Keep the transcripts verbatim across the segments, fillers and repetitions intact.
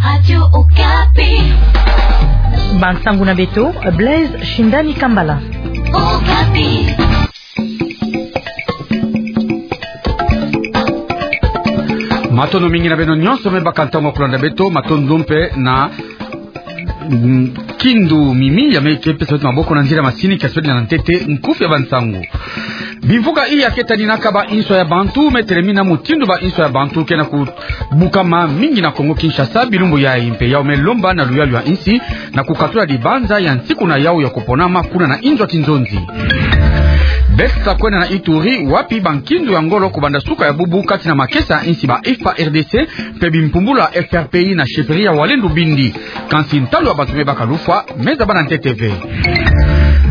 Radio Okapi. Bansangu na beto, Blaise Shindani Kambala. Okapi. Matondo mingi na beno nyonso me baka ntangu ya kulanda beto, matondo mpe na, mm, Kindu Mimi, ya me ke pesa beto maboko na nzila masini, kia sodi na ntete nkufi ya bansangu. Bimvuka iya ke taninaka ba inswa ya bantu, me telemina mutindu ba inswa ya bantu ke na kubukama mingi na Kongo Kinshasa bilumbu yayi, mpe yau me lomba na luyalu ya insi na kukatula dibanza ya nsiku na yau ya kuponama kuna na inzo ya kinzonzi. Beto ta kwenda na Ituri, wapi bankindu ya ngolo kubanda suka ya bubu kati na makesa ya insi ba F A R D C mpe bimpumbulu ya F R P I na chefferie ya Walendu Bindi. Kansi ntalu ya bantu me baka lufwa me zaba na ntete ve.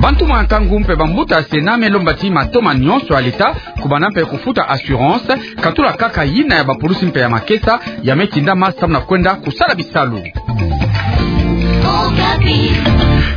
Bantu mwa nkangu mpe bambuta ya Sénat me lomba ti matoma nyonso ya leta kubanda mpe kufuta assurance, katula kaka yina ya bapulusi mpe ya makesa ya me tindama samu na kwenda kusala bisalu.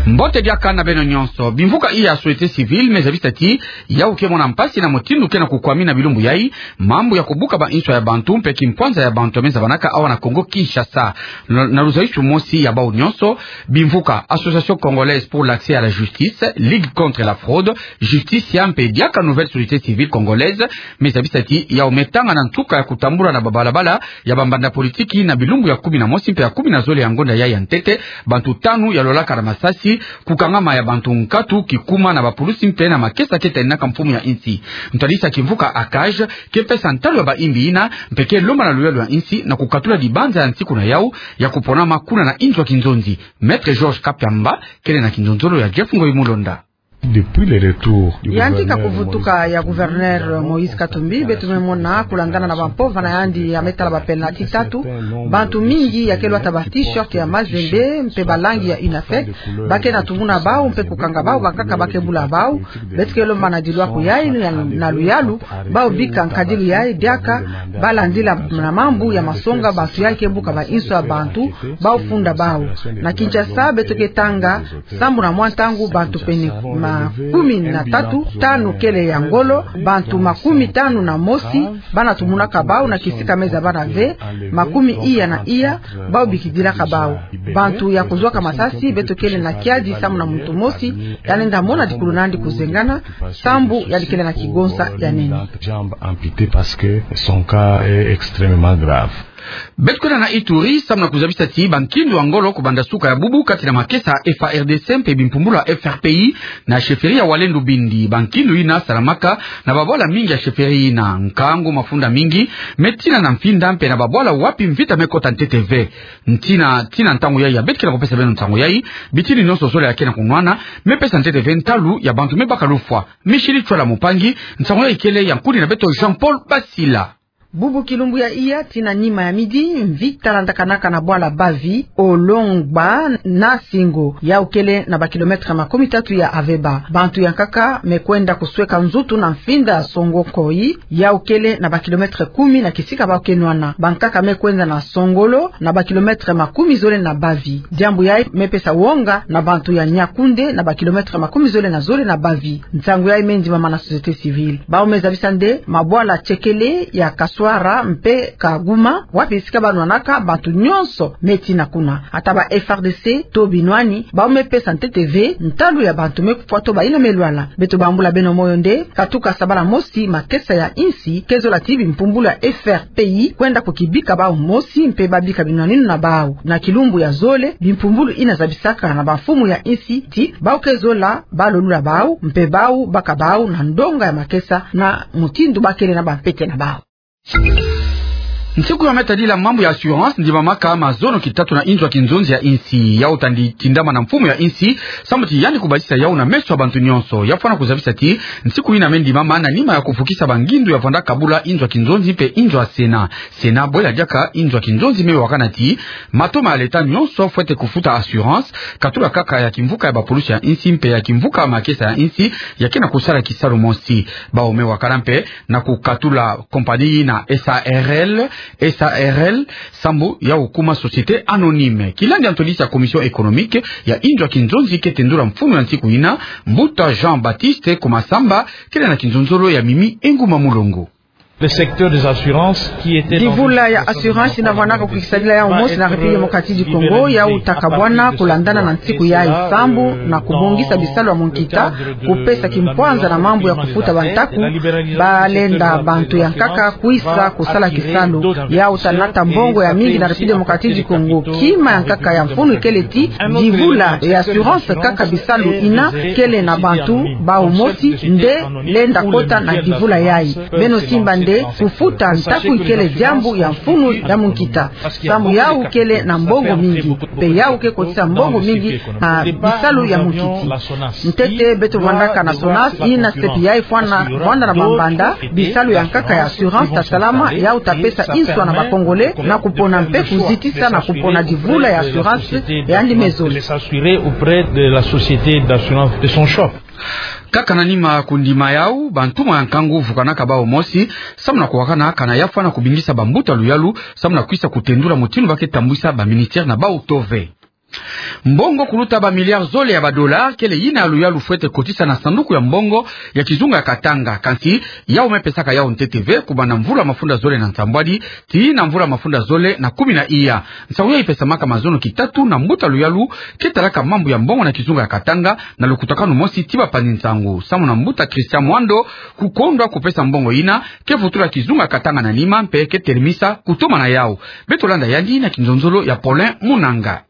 Mbote diaka na beno nyonso. Bimvuka iya ya société civile me zabisa ti yau ke mona mpasi na mutindu ke na kukwamina bilumbu yayi mambu ya kubuka ba inswa ya bantu mpe kimpwanza ya bantu ya me zabanaka awa na Kongo Kinshasa. Na, na luzayisu mosi ya bau nyonso, bimvuka Association Congolaise pour l'Accès à la Justice, Ligue contre la Fraude, Justicia mpe diaka Nouvelle Société Civile Congolaise, me zabisa ti yau me tanga na nsuka ya kutambula na babalabala ya bambanda politiki na bilumbu ya kumi na mosi mpe ya kumi na zole ya ngonda yayi ya ntete, bantu tanu ya lolaka na masasi, kukangama ya bantu nkatu, kikuma na bapulusi mpe na makesa ke taninaka mfumu ya insi. Ntwadisi ya kimvuka ACAJ ke pesa ntalu ya ba imbi yina, mpe ke lomba na luyalu ya insi na kukatula dibanza ya nsiku na yau ya kuponama kuna na inzo ya kinzonzi. Maître Georges Kapiamba kele na kinzonzolo ya Jeff Ngoyi Mulonda. Depuis le retour du Yandi ka gouverneur kuvutuka ya gouverneur Moïse Katumbi, beto me mona kulandana na bampova na yandi ya me tala ba penalty tatu, bantu mingi ya ke lwata ba t-shirt ya Mazembe mpe ba langi ya UNAFEC, ba ke na tumuna bau mpe kukanga bau, bankaka ba ke bula bau. Beto ke lomba na dilwaku yayi na, na luyalu, bau bika nkadilu yayi diaka, ba landila na mambu ya masonga bantu yayi ke buka ba inswa ya bantu, bau funda bau. Na Kinshasa beto ke tanga sambu na mwa ntangu bantu pene makumi na tatu, tanu kele ya ngolo, bantu makumi tanu na mosi ba na tumunaka bau na kisika me zabana ve, makumi iya na iya bau bikidilaka bau. Bantu ya kuzwaka masasi, beto kele na kiadi sambu na muntu mosi ya lenda mona dikulu na yandi kuzengana, sambu yandi kele na kigonsa ya nene. Jambe amputée parce que son cas est extrêmement grave. Beto kwenda na Ituri, sambu na kuzabisa ti bankindu ya ngolo kubanda suka ya bubu kati na makesa F A R D C mpe bimpumbulu ya F R P I na chefferie ya Walendu Bindi. Bankindu yina salamaka na babwala mingi ya chefferie yina. Nkangu, mafunda mingi me tina na mfinda mpe na babwala wapi mvita me kota ntete ve. Ntina, tina ntangu yayi ya beto ke na kupesa beno nsangu yayi, bitini nyonso zole ya ke na kunwana me pesa ntete ve ntalu ya bantu me baka lufwa. Michel Chwala Mupangi, nsangu yayi kele ya nkuni na beto Jean-Paul Basila. Bubu kilumbu ya iya tina nima ya midi, mvita landakanaka na bwala Bavi, Olongba na Singo, yau kele na ba kilomètre makumi tatu ya Aveba. Bantu ya nkaka me kwenda kusweka nzutu na mfinda ya Songo Nkoyi, yau kele na ba kilomètre kumi na kisika bau ke nwana. Bankaka me kwenda na Songolo, na ba kilomètre makumi zole na Bavi. Diambu yayi me pesa wonga na bantu ya Niakoundé, na ba kilomètre makumi zole na zole na Bavi. Nsangu yayi me ndimama na société civile. Bau me zabisa nde mabwala Tchekele, ya Kaswara mpe Kaguma, wapi esika ba nwanaka, bantu nyonso me tina kuna. Ata ba F R D C to binwani, bau me pesa ntete ve ntalu ya bantu me kufwa to bayina me lwala. Beto bambula beno moyo nde, katuka sabala mosi makesa ya insi ke zola ti bimpumbulu ya F R P I kwenda kukibika bau mosi mpe ba bika binwaninu na bau. Na kilumbu ya zole, bimpumbulu yina zabisaka na bamfumu ya insi ti bau ke zola ba lolula bau, mpe bau baka bau na ndonga ya makesa na mutindu ba kele na bampete na bau. Nsiku ya me tadila mambu ya assurance ndimamaka mazono kitatu na inzo ya kinzonzi ya insi. Yau tandi tindama na mfumu ya insi, sambu ti yandi kubasisa yau na meso ya bantu nyonso. Ya fwana kuzabisa ti nsiku yina me ndimama na nima ya kufukisa bangindu ya vanda kabula inzo ya kinzonzi mpe inzo ya Sénat. Sénat bwela diaka inzo ya kinzonzi me wakana ti matoma ya leta nyonso fwete kufuta assurance, katula kaka ya kimvuka ya bapulusi ya insi mpe ya kimvuka ya makesa ya insi ya ke na kusala kisalu mosi. Bau me wakana mpe na kukatula compagnie yina S A R L, S A R L, sambu ya kukuma société anonyme. Kilandi ya ntwadisi ya Commission économique ya inzo ya kinzonzi ke tendula mfunu ya nsiku yina, Mbuta Jean-Baptiste Kumasamba, kele na kinzonzolo ya Mimi Enguma Mulongo. Le secteur des assurances, qui était dans une situation de grande fragilité, va être libéré, va être libéré, va être libéré, va être libéré. Divula ya assurance ina vwanaka kukisabila yawu mosi na République démocratique du Congo, yawu taka vwana kulandana na nsiku yayi sambu na kubongisa bisalu ya munkita, kupesa kimpwanza na mambu ya kufuta bantaku, balenda bantu ya nkaka kwisa kusala kisalu. Yawu ta nata mbongo ya mingi na République démocratique du Congo. Kima ya nkaka ya mfunu ikele ti divula ya assurance kaka bisalu ina kele na bantu bawu mosi nde lenda kota na divula yayi. Beno simba nde kufuta ntaku ikele diambu ya mfunu ya munkita. Sambu yawu kele na mbongo mingi, mpe yawu ke kotisa mbongo mingi na bisalu ya munkiti. Ntete beto vwandaka na SONAS, ina sepi yayi fwana vwanda na mambanda, bisalu ya nkaka ya assurance ta salama, yawu ta pesa inswa na ba Congolais, na kupona mpe kuzitisa na kupona divula ya assurance yandi me zole. S'assurer auprès de la société d'assurance de son choix. Kaka na nima kundima yawu, bantumwa ya nkangu vukanaka bawu mosi, samu na kuwakana kana ya fwana kubingisa bambuta luyalu, samu na kwisa kutendula mutindu ba ke tambwisa ba ministère na bawu to ve. Mbongo kuluta ba milliards zole ya ba dollars, kele yina ya luyalu fwete kotisa na sanduku ya mbongo ya kizunga ya Katanga, kansi yawu me pesaka yawu ntete ve, kubanda mvula mafunda zole na nsambwadi, tii na mvula mafunda zole na kumi na iya. Nsangu yayi ipesamaka mazono kitatu na mbuta luyalu ke talaka mambu ya mbongo na kizunga ya Katanga, na lukutakanu mosi ti bapanzi nsangu. Samu na mbuta Christian Mwando, kukondwa kupesa mbongo yina ke vutula kizunga ya Katanga na nima mpe ke telemisa kutoma na yawu. Beto landa yandi na kinzonzolo ya Paulin Munanga.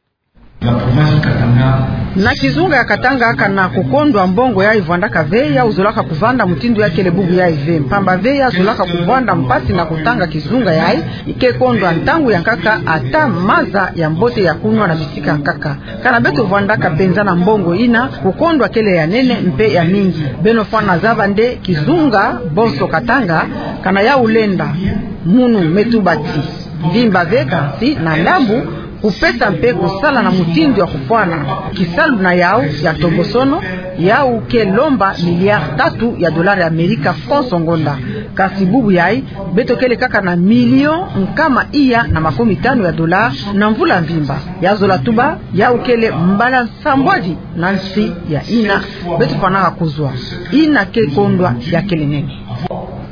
Na kizunga ya Katanga, kana kukondwa mbongo yayi vwandaka ve, yawu zolaka kuvanda mutindu ya kele bubu yayi ve. Mpamba ve ya zolaka kuvwanda mpasi na kutanga kizunga yayi, ike kondwa ntangu ya nkaka ata maza ya mbote ya kunwa na bisika nkaka. Kana beto vwandaka mpenza na mbongo yina, kukondwa kele ya nene mpe ya mingi. Beno fwana zaba nde kizunga bonso Katanga, kana yawu lenda munu me tuba ti mvimba ve, kansi na ndambu kupesa mpe kusala na mutindu ya kufwana. Kisalu na yawu ya ntombosono, yawu ke lomba milliards tatu ya dollars ya Amerika konso ngonda. Kansi bubu yayi, beto kele kaka na millions nkama iya na makumi tanu ya dollars na mvula mvimba. Ya zola tuba, yawu kele mbala nsambwadi na nsi ya yina beto fwanaka kuzwa. Yina ke kondwa ya kele nene.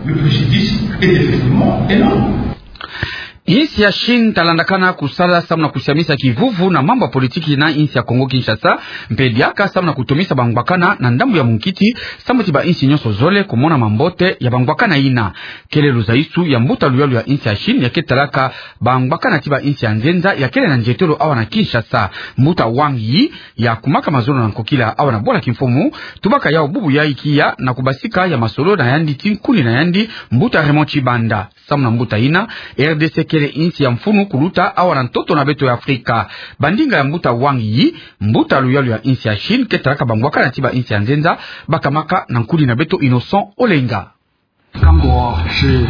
Le préjudice est effectivement énorme. Insi ya Chine ta landakana kusala samu na kusiamisa kivuvu na mambu ya politiki na insi ya Congo Kinshasa, mpe diaka samu na kutomisa bangwakana na ndambu ya munkiti, samu ti ba insi nyonso zole kumona mambote ya bangwakana yina. Kele luzaisu ya mbuta luyalu ya insi ya Chine ya ke talaka bangwakana ti ba insi ya nzenza ya kele na nzietolo awa na Kinshasa. Mbuta Wang Yi ya kumaka mazono na nkokila awa na bwala kimfumu, tubaka yawu bubu yayi kiya na kubasika ya masolo na yandi ti nkuni na yandi, mbuta Raymond Tshibanda. Samu na mbuta yina, R D C kele insi ya mfunu kuluta awa na ntoto na beto ya Afrika. Bandinga ya mbuta Wang Yi, mbuta luyalu ya insi ya Chine ke talaka bangwakana ti ba insi ya nzenza, bakamaka na nkuni na beto Innocent Olenga. 刚果是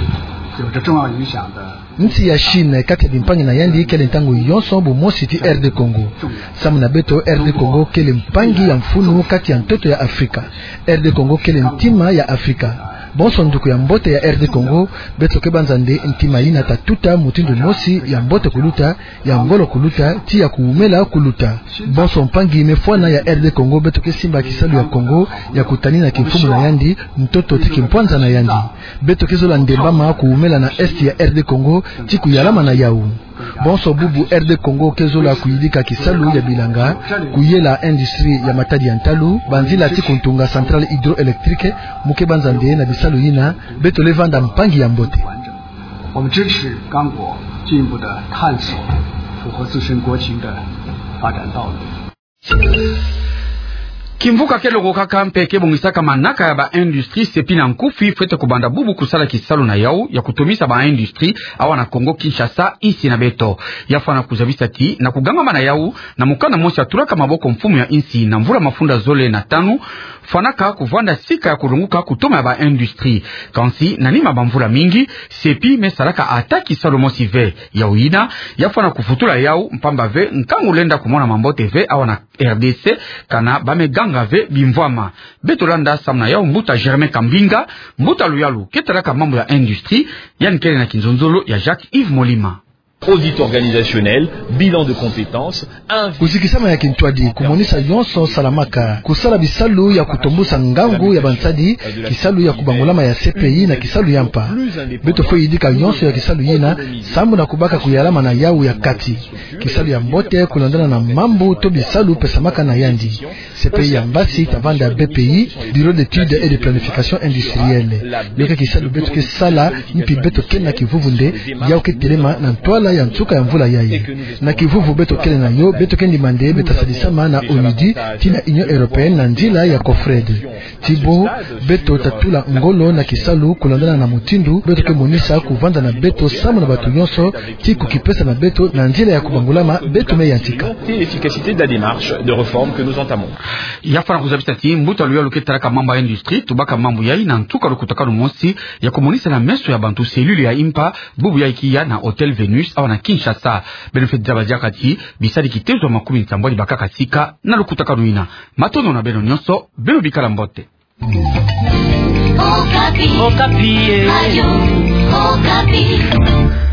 有着重要影响的。 Insi ya Chine, kati ya bimpangi na yandi, kele ntangu yonso bumosi ti R D Congo. Samu na beto, R D Congo kele mpangi ya mfunu kati ya ntoto ya Afrika. R D Congo kele ntima ya Afrika. Bonso nduku ya mbote ya R D Congo, beto ke banza nde ntima yina ta tuta mutindu mosi ya mbote kuluta, ya ngolo kuluta, ti ya kuwumela kuluta. Bonso mpangi me fwana ya R D Congo, beto ke simba kisalu ya Congo ya kutanina kimfumu na yandi, ntoto ti kimpwanza na yandi. Beto ke zola ndembama kuwumela na Est ya R D Congo, ti kuyalama na yawu. Bonso bubu R D Congo ke zola kuyidika kisalu ya bilanga, kuyela industrie ya matadi ya ntalu, banzila ti kuntunga centrale hydroélectrique, mu ke banza nde na bisalu yina, beto le vanda mpangi ya mbote. 我们支持刚果进一步的探索符合自身国情的发展道路。 Kimvuka ke lokokaka mpe ke bongisaka manaka ya ba industrie, sepi na nkufi fwete kubanda bubu kusala kisalu na yawu ya kutomisa ba industrie awa na Congo Kinshasa, insi na beto. Ya fwana kuzabisa ti na kugangama na yawu, na mukanda mosi ya tulaka maboko mfumu ya insi na mvula mafunda zole na tanu, fwanaka kuvwanda sika ya kulonguka kutoma ya ba industrie. Kansi, na nima bamvula mingi, sepi me salaka ata kisalu mosi ve. Yawu yina, ya fwana kuvutula yawu, mpamba ve nkangu lenda kumona mambote ve awa na R D C, kana ba me ganga ve bimvwama. Beto landa samu na yawu mbuta Germain Kambinga, mbuta luyalu ke talaka mambu ya industrie, yandi kele na kinzonzolo ya Jacques Yves Molima. Audit organisationnel, bilan de compétences, invi- Kuzikisama ya kintwadi, kumonisa yonso salamaka, kusala bisalu ya kutombusa ngangu ya bansadi, kisalu ya kubangulama ya C P I na kisalu ya mpa. Beto fwe yidika yonso ya kisalu yina, sambu na kubaka kuyalama na yawu ya kati. Kisalu ya mbote kulandana na mambu to bisalu pesamaka na yandi. C P I ya mbasi ta vanda B P I, Bureau d'études et de planification industrielle. Yo ke kisalu beto ke sala, mpi beto ke na kivuvu nde, yawu ke telema na ntwala ya nsuka ya mvula yayi. Na kivuvu beto kele na yo, beto ke ndima nde beta sadisama na ONUDI, tii na Union Européenne na nzila ya COFRED. Tii bo, beto ta tula ngolo na kisalu kulandana na mutindu beto ke monisa kuvanda na beto sambu na bato yonso, tii kukipesa na beto na nzila ya kubangulama beto me yantika. L'efficacité de la démarche de réforme que nous entamons. Ya fwana kuzabisa ti mbuta luyalu ke talaka mambu ya industrie tubaka mambu yayi na nsuka lukutakanu mosi ya kumonisa na meso ya bantu cellule ya impa, bubu yayi ke ya na Hôtel Vénus awa na Kinshasa. Beno fweti zaba diaka ti bisadi kitezo makumi nsambwadi bakaka sika na lukutakanu yina. Matondo na beno yonso, beno bikala mbote. Okapi. Okapi, eh. Radio Okapi.